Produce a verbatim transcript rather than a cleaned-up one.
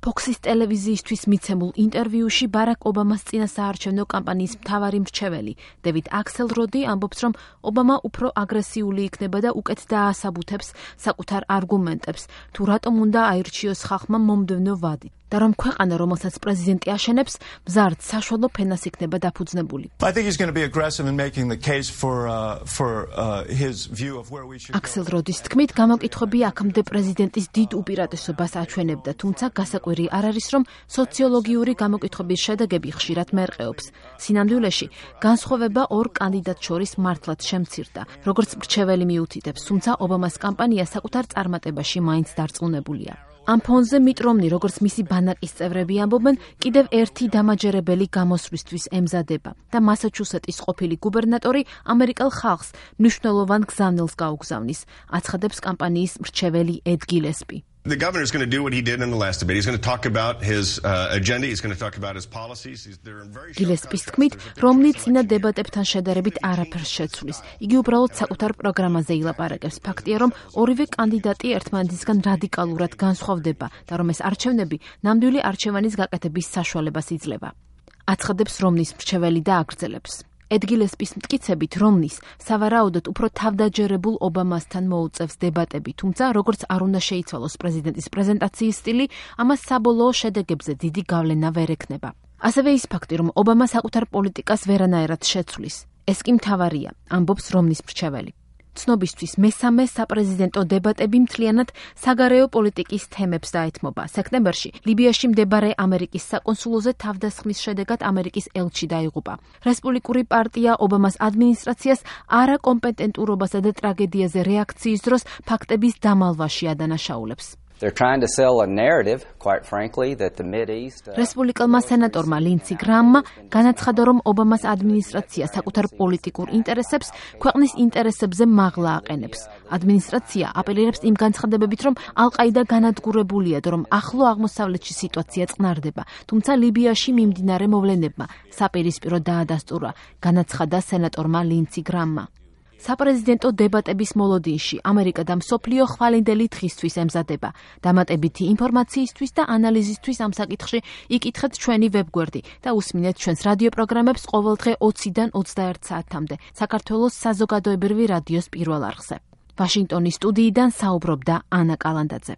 Fox-ის ტელევიზიისთვის მიცემულ ინტერვიუში ბარაკ ობამას წინასაარჩევნო კამპანიის მთავარი მრჩეველი დევიდ აქსელროდი ამბობს, რომ ობამა უფრო აგრესიული იქნება და უკეთ დაასაბუთებს საკუთარ არგუმენტებს, თუ რატომ უნდა აირჩიოს ხალხმა მომდევნო ვადით. და რომ ქვეყანა, რომელსაც პრეზიდენტი აშენებს, მზარდ საშუალო ფენას იქნება დაფუძნებული. აქსელროდის თქმით, გამოკითხვები აქამდე პრეზიდენტის დიდ უპირატესობას აჩვენებდა, თუმცა გასაკვირი არ არის, რომ სოციოლოგიური გამოკითხვების შედეგები ხშირად მერყეობს. სინამდვილეში, განსხვავება ორ კანდიდატს შორის მართლაც შემცირდა, როგორც მრჩეველი მიუთითებს, თუმცა ობამას კამპანია საკუთარ წარმატებაში მაინც დარწმუნებულია. ამ ფონზე მიტ რომნი, როგორც მისი ბანაკის წევრები ამბობენ, კიდევ ერთი დამაჯერებელი გამოსვლისთვის ემზადება და მასაჩუსეტის ყოფილი გუბერნატორი ამერიკელ ხალხს მნიშვნელოვან გზავნილს გაუგზავნის, აცხადებს კამპანიის მრჩეველი ედ გილესპი. The governor is going to do what he did in the last debate. He's going to talk about his uh, agenda. He's going to talk about his policies. He's there in very Gillespie თქმით, რომნი წინა დებატებთან შედარებით არაფერს შეცვლის. იგი უბრალოდ საკუთარ პროგრამაზე ილაპარაკებს. ფაქტია, რომ ორივე კანდიდატი ერთმანეთისგან რადიკალურად განსხვავდება და რომ ეს არჩევნები ნამდვილი არჩევანის გაკეთების საშუალებას იძლევა. აცხადებს რომნის მრჩეველი და აგრძელებს. ედ გილესპის მტკიცებით, რომნის სავარაუდოდ უფრო თავდაჯერებულ ობამასთან მოუწევს დებატები, თუმცა როგორც არ უნდა შეიცვალოს პრეზიდენტის პრეზენტაციის სტილი, ამას საბოლოო შედეგებზე დიდი გავლენა ვერ ექნება. ასევე ის ფაქტი, რომ ობამა საკუთარ პოლიტიკას ვერანაირად შეცვლის. ეს კი მთავარია, ამბობს რომნის მრჩეველი. ცნობისთვის მესამე საპრეზიდენტო დებატები მთლიანად საგარეო პოლიტიკის თემებს დაეთმობა. სექტემბერში ლიბიაში მდებარე ამერიკის საკონსულოზე თავდასხმის შედეგად ამერიკის ელჩი დაიღუპა. რესპუბლიკური პარტია ობამას ადმინისტრაციას არაკომპეტენტურობასა და ტრაგედიაზე რეაქციის დროს ფაქტების დამალვაში ადანაშაულებს. They're trying to sell a narrative, quite frankly, that the Mideast რესპუბლიკელმა სენატორმა ლინცი გრამმა განაცხადა, რომ ობამას ადმინისტრაცია საკუთარ პოლიტიკურ ინტერესებს ქვეყნის ინტერესებზე მაღლა აყენებს. ადმინისტრაცია აპელირებს იმ განცხადებებით, რომ ალ-ყაიდა განადგურებულია და რომ ახლო აღმოსავლეთში სიტუაცია წყნარდება, თუმცა ლიბიაში მიმდინარე მოვლენებმა საპირისპირო დაადასტურა, განაცხადა სენატორმა ლინცი გრამმა. საპრეზიდენტო დებატების მოლოდინში ამერიკა და მსოფლიო ხვალინდელი დღისთვის ემზადება. დამატებითი ინფორმაციისთვის და ანალიზისთვის ამ საკითხში იკითხეთ ჩვენი ვებგვერდი და უსმინეთ ჩვენს რადიო პროგრამებს ყოველდღე ოციდან ოცდაერთ საათამდე საქართველოს საზოგადოებრივი რადიოს პირველ არხზე. ვაშინგტონის სტუდიიდან საუბრობდა ანა კალანდაძე.